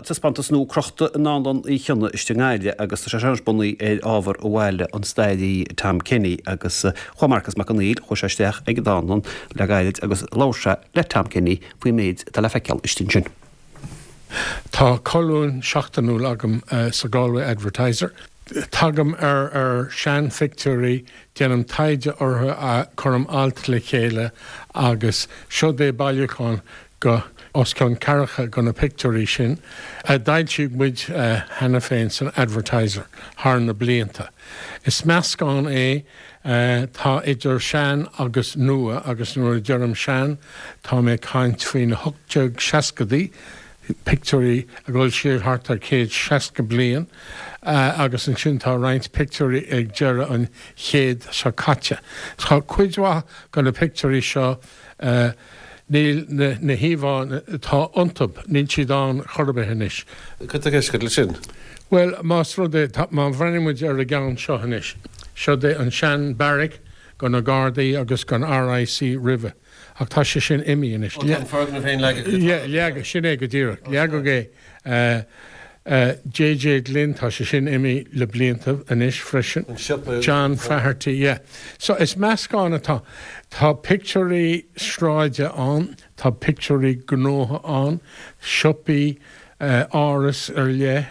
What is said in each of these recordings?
taispeántas nua crochta i nDánlann Uí Chionnaith istigh i nGaillimh agus tá sé seo anois bunaithe ar ábhar a bhailigh an staraí Tom Kenny agus chuaigh Marcus Mac Conghail, chuaigh sé isteach ag an dánlann le gairid agus labhair sé le Tom Kenny faoin méid atá le feiceáil istigh ansin. Tá colún seachtainiúil agam sa Galway Advertiser. Tagaim ar ar seanphictiúirí, déanaim taighde orthu, cuirim alt le chéile agus seod é bailiúchán go os cionn ceathracha go na pictiúirí sin a d'fhoilsigh muid cheana féin san Advertiser thar na blianta. Is meascán é, tá idir sean agus nua agus nuair a deirim sean tá mé ag caint faoi na 1860idí, pictiúirí ag dul siar thart ar 160 bliain agus ansin tá roinnt pictiúirí ag deireadh an chéid seo caite. Tá cuid mhaith go na pictiúirí seo, Níl na híomhánna atá iontu, níl siad ann chor ar bith anois. Cad tá i gceist agat leis sin? Bhuel, más rud é, má bhreathnaíonn muid ar an gceann seo anois, seod é an sean-beairic go na Gardaí agus gon RIC roimhe, ach tá sé sin imithe anois. Ó, tá an foirgneamh féin leagtha go talamh. Leagadh, sin é go díreach, leagadh é. JJ Glynn, tá sé sin imithe le blianta anois freisin. An siopa. John Faherty, yeah. So is meascán atá. Tá pictiúirí sráide ann, tá pictiúirí gnótha ann, siopaí, áras ar leith,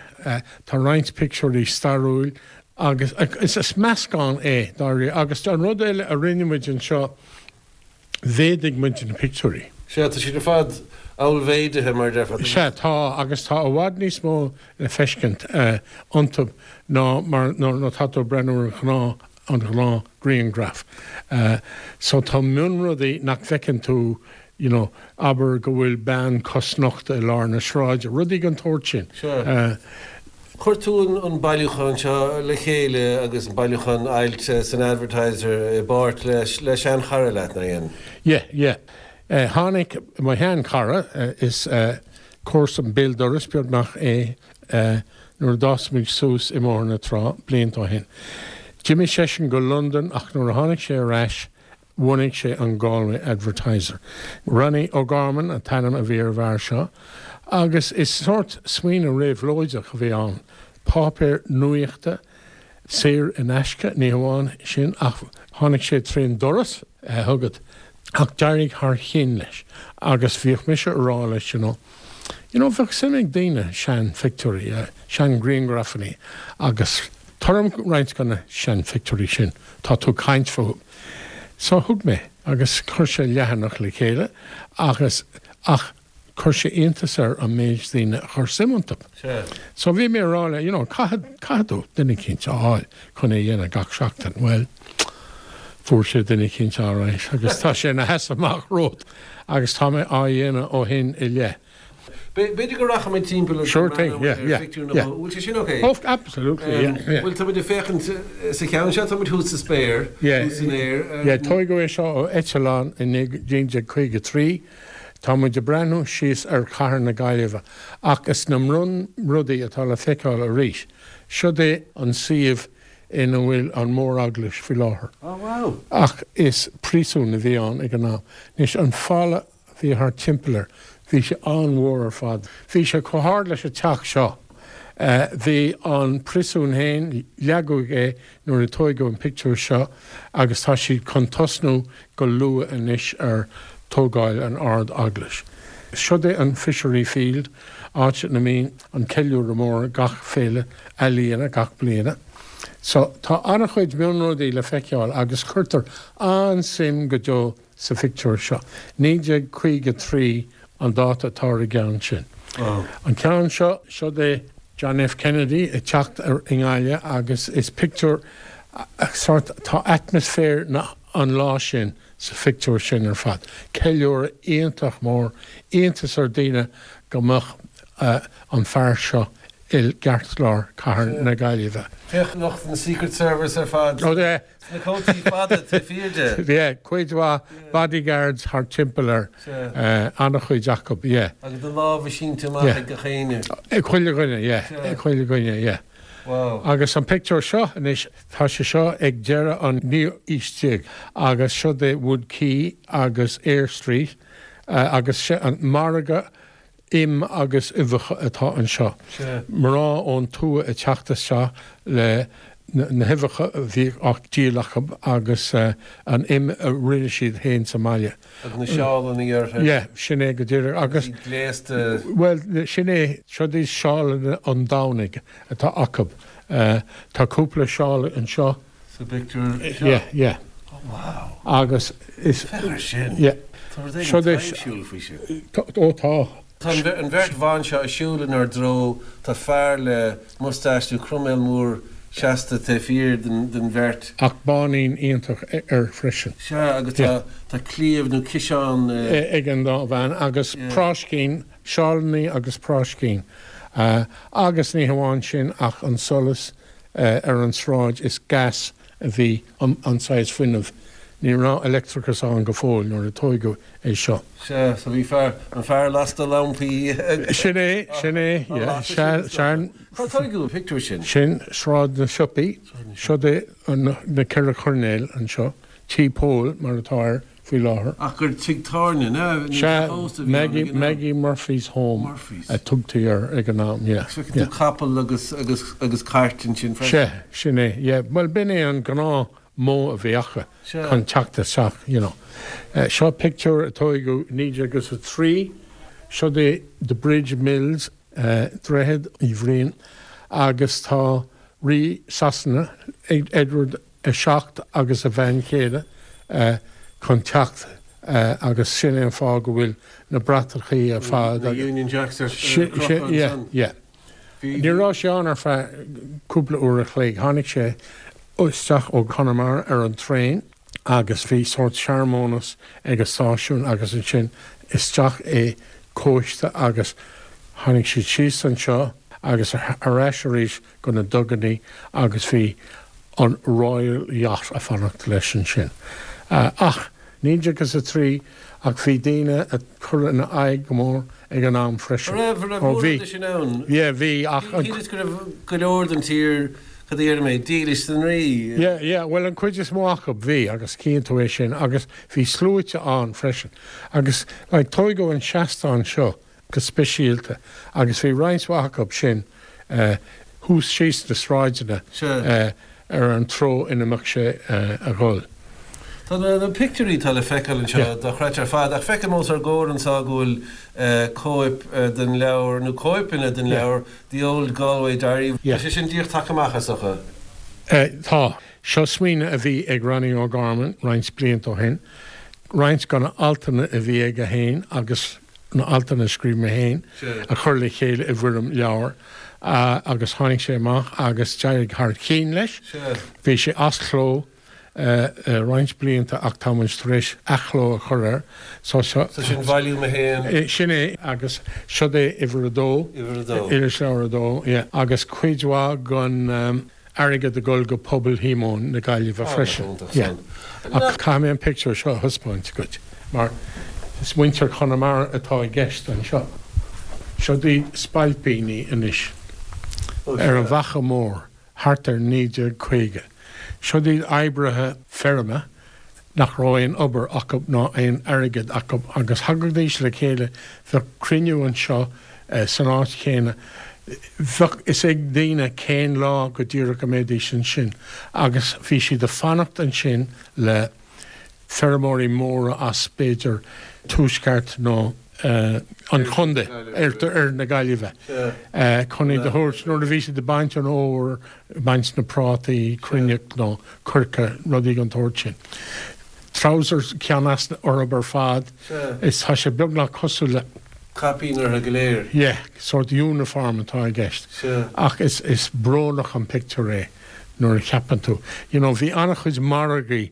tá roinnt pictiúirí stairiúil agus is meascán é dáiríre. Agus an rud eile a rinne muid anseo, mhéadaigh muid na pictiúirí. Sea, tá siad ar fad ollmhéadaithe, mar a déarfá. Sea, tá, agus tá i bhfad níos mó le feiscint iontu ná mar nuair atá tú ag breathnú ar an ghnáth, an ghnáth grianghraf. So tá mionrudaí nach bhfeiceann tú, you know, abair go bhfuil bean cosnochta i lár na sráide, rudaí den tsórt sin. Sea. Chuir tú an bailiúchán seo le chéile agus an bailiúchán ailt san Advertiser i bpáirt le seanchara leat, nár dhein? Yeah, yeah. Tháinig mo sheanchara, is comharsa béal dorais beagnach é, nuair a d'fhás muid suas i mBóthar na Trá blianta ó shin. D'imigh seisean go Londain ach nuair a tháinig sé ar ais, Bhunaigh sé an Galway Advertiser. Ronnie O'Gorman an t-ainm a bhí ar an bhfear seo agus is sórt smaoineamh réabhlóideach a bhí ann, páipéar nuachta saor in aisce, ní hamháin sin ach tháinig sé trén doras chugat ach d'éirigh thar chinn leis agus bhíodh mise a rá leis you know, you know bheadh suim ag daoine sean-phictiúirí, sean-ghrianghrafannaí agus tabhair dom roinnt de na sean-phictiúirí sin, tá tú ag caint fúthu. So thug mé agus chuir sé leathanach le chéile agus ach chuir sé iontas air an méid daoine a chuir suim iontu. So bhí mé a rá le you know caithfidh caithfidh tú duine eicínt a fháil chun é a dhéanamh gach seachtain. Bhuel fuair sé duine eicínt alright agus tá sé ina sheasamh amach romhat agus tá mé á dhéanamh ó shin i leith. B'fhéidir go rachaimid timpeall agus go mbreathnóimid ar phictiúr nó dhó. Bhfuil sé sin ok? Oh, absolutely, yeah, yeah. Bhuel, táimid ag féachaint sa cheann seo, táimid thuas sa spéir, thuas san aer. Yeah, tóigeadh é seo ó eitleán i 1953. Tá muid ag breathnú síos ar chathair na Gaillimhe ach is na mionrudaí atá le feiceáil arís. Siod é an suíomh ina bhfuil an Mhór-Eaglais faoi láthair. Oh, wow. Ach is príosún a bhí ann ag an am. Anois, an falla bhí thart timpeall air. Bhí sé an-mhór ar fad. Bhí sé chomh hard leis an teach seo. Bhí an príosún féin, leagadh é nuair a tóigeadh an pictiúr seo agus tá siad chun tosnú go luath anois ar tógáil an Ard-Eaglais. Siod é an Fishery Field, áit ina mbíonn an ceiliúradh mór gach féile ealaíona gach bliana. So, tá an-chuid mionrudaí le feiceáil agus cuirtear an-suim go deo sa phictiúr seo. 1953 an dáta atá ar an gceann sin. An ceann seo, siod é John F. Kennedy ag teacht i nGaillimh agus is pictiúr sórt, tá atmaisféar na, an lá sin sa phictiúr sin ar fad. Ceiliúradh iontach mór, iontas ar daoine go mbeadh an fear seo i gceartlár cathair na Gaillimhe. Féach lucht an Secret Service ar fad. Ó yeah. Sna cótaí fada taobh thiar de. Yeah, cuid mhaith bodyguards thart timpeall air. An-chuid acu, yeah. Agus na lámha sínte amach ag gach éinne. Ag chuile dhuine, yeah. Ag chuile dhuine, yeah. Wow. Agus an pictiúr seo anois, tá sé seo ag deireadh an naoú aois déag agus siod é Wood Quay agus Eyre Street agus an margadh. Im agus uibheacha atá anseo. Mná ón tuath ag teacht isteach le na huibheacha a bhíodh á díol acu agus an im a rinne siad féin sa mbaile. Agus na seálanna orthu. Yeah, sin é go díreach. Agus. Iad gléasta. Bhuel, sin é, siod iad seálanna an Domhnaigh atá acu. Tá cúpla seál anseo. Sa bpictiúr seo? Yeah, yeah. Oh, wow. Agus is. Féach air sin. Yeah. Tá rud éigin taibhsiúil faoi sin. Ó tá. Tá an bheirt bhan seo ag siúl inár dtreo, tá fear le mustáiste nó croiméal mór seasta taobh thiar den bheirt. Ach báinín iontach air freisin. Sea, agus tá tá claíomh nó ciseán. ag an dá bhean agus práiscín, seálannaí agus práiscín. Agus ní hamháin sin ach an solas ar an sráid is gas a bhí an saghas fuinnimh. Ní raibh leictreachas ann go fóill nuair a tóigeadh é seo. Sea, so bhí fear, an fear lasta lampaí ag. Sin é, sin é, yeah. Sea, sea. Cár tóigeadh an pictiúr sin? Sin Sráid na Siopaí. Siod é na ceithre choirnéal anseo. Tí Póil mar atá air. faoi láthair. Ach gur tigh tábhairne, nó Sea, Maggie, Maggie Murphy's Home Murphy's. a tugtaí air ag an am, yeah, Agus feiceann tú capall agus, agus, agus cairt ansin freisin. Sea, sin é, yeah. Bhuel, b'in é an gnáth modh a bhí acu Sea. chun teacht isteach, you know. Seo pictiúr a tóigeadh 1903, siod é The Bridge Mills, Droichead Uí Bhriain, agus tá Rí Sasana, Edward 7 agus a bhean chéile chun teacht agus sin é an fáth go bhfuil na bratachaí ar fad Na Union Jacks ar crochadh ansan. Yeah. Ní raibh sé ann ar feadh cúpla uair a chloig. Tháinig sé isteach ó Chonamara ar an traein agus bhí sórt searmanas ag an stáisiún agus ansin isteach i cóiste agus tháinig siad síos anseo agus ar ais arís go na dugannaí agus bhí an Royal Yacht a' fanacht leis ansin. Ach, 1903, ach bhí daoine a' cur ina aghaidh go mór ag an am freisin. An raibh, an raibh Ó bhí. mórán de sin ann? Yeah, bhí, ach an. Shíleas go raibh go leor den tír, cad a déarfaidh mé, dílis don Rí. Yeah, yeah, bhuel an chuid is mó acu, bhí, agus cíonn tú é sin, agus bhí sluaite ann freisin. Agus, like, tóigeadh an seastán seo, go speisialta agus bhí roinnt mhaith acu sin thuas síos na sráideanna ar an treo ina mbeadh sé a dhul. Tá na pictiúirí atá le feiceáil anseo dochreidte ar fad ach feicim os ár gcomhair anseo go bhfuil cóip den leabhar, nó cóipeanna den leabhar, The Old Galway Diary. Tá sé sin díreach tagtha amach, is dócha? Tá. Seo smaoineamh a bhí ag Ronnie O'Gorman roinnt blianta ó shin, roinnt de na altanna a bhí aige féin agus na altanna a scríobh mé féin a chur le chéile i bhfoirm leabhair agus tháinig sé amach agus d'éirigh thar cinn leis. Bhí sé as cló roinnt blianta ach tá muid tar éis athchló a chur air. So seo. So sin Volume 1. Sin é agus siod é uimhir a dó. Uimhir a dó. Irisleabhar a dó, yeah. Agus cuid mhaith den. airgead ag dul go Pobal Shíomóin na Gaillimhe freisin. Yeah. Ach caithfidh mé an pictiúr seo a thaispeáint duit mar is muintir Chonamara atá i gceist anseo. Siod iad spailpíní anois ar an bhFaiche Mhór thart ar 1950. Siod iad oibrithe feirme nach raibh aon obair acu ná aon airgead acu agus thagaidís le chéile, bheadh cruinniú anseo san áit chéanna, bheadh fhios ag daoine cén lá go díreach a mbeidís ansin agus bhí siad ag fanacht ansin le feirmeoirí móra as b'fhéidir tuaisceart nó an chontae, oirthear na Gaillimhe, chun iad a thabhairt nuair a bhí siad ag baint an fhómhair, ag baint na prátaí, cruinneach nó coirce, rudaí den tsórt sin. Trousers ceann easna orthu ar fad, is tá sé beagnach cosúil le. Caipín orthu go léir. Yeah, sórt uniform atá i gceist. Ach is, is brónach an pictiúr é nuair a cheapann tú. You know, bhí an-chuid margaí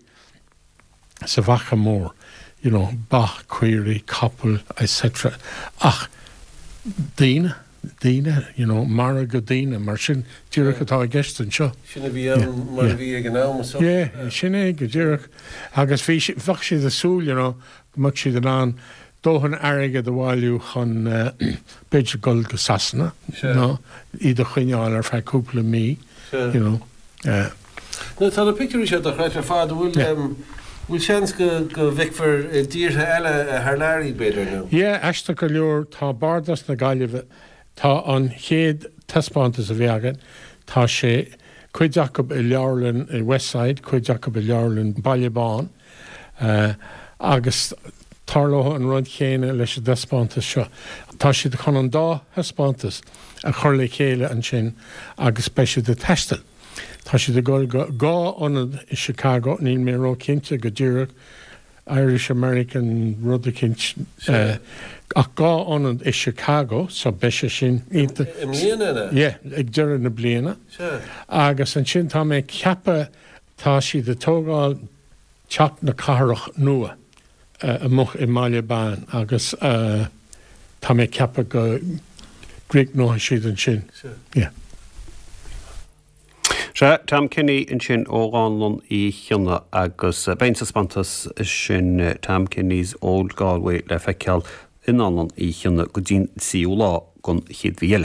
sa bhFaiche Mhór, you know, ba, caoirigh, capaill, etc. Ach daoine, daoine, you know, margadh daoine, mar sin díreach atá i gceist anseo. Sin a bhí ann mar a bhí ag an am is dócha. Yeah, sin é go díreach. Agus bhí, bheadh siad ag súil, you know, go mbeadh siad in ann dóthain airgid a bhailiú chun b'fhéidir dul go Sasana nó iad a choinneáil ar feadh cúpla mí, you know. Now tá na pictiúirí seo dochreidte ar fad. An bhfuil. Bhfuil seans go go bhfeicfear i dtíortha eile thar lear iad, b'fhéidir, nó? Yeah, aisteach go leor, tá Bardas na Gaillimhe, tá an chéad taispeántas a bhí againn, tá sé, cuid acu i leabharlann i Westside, cuid acu i leabharlann Baile Bán, agus tarlóidh an rud chéanna leis an dtaispeántas seo. Tá siad chun an dá thaispeántas a chur le chéile ansin agus beidh siad ag taisteal. Tá siad ag dul go dhá ionad i Chicago, níl mé ró-chinnte go díreach, Irish American rud eicínt, ach dhá ionad i Chicago, so beidh sé sin iontach. I mbliana, an ea? Yeah, ag deireadh na bliana. Sea. Agus ansin tá mé ag ceapadh, tá siad ag tógáil Teach na Cathrach nua amuigh i mBaile Bán agus tá mé ag ceapadh go gcríochnóidh siad ansin. Yeah. Sea, Tom Kenny ansin ó Dhánlann Uí Chionnaith agus beidh an taispeántas sin, Tom Kenny's Old Galway, le feiceáil i nDánlann Uí Chionnaith go dtí'n tríú lá den chéad mhí eile.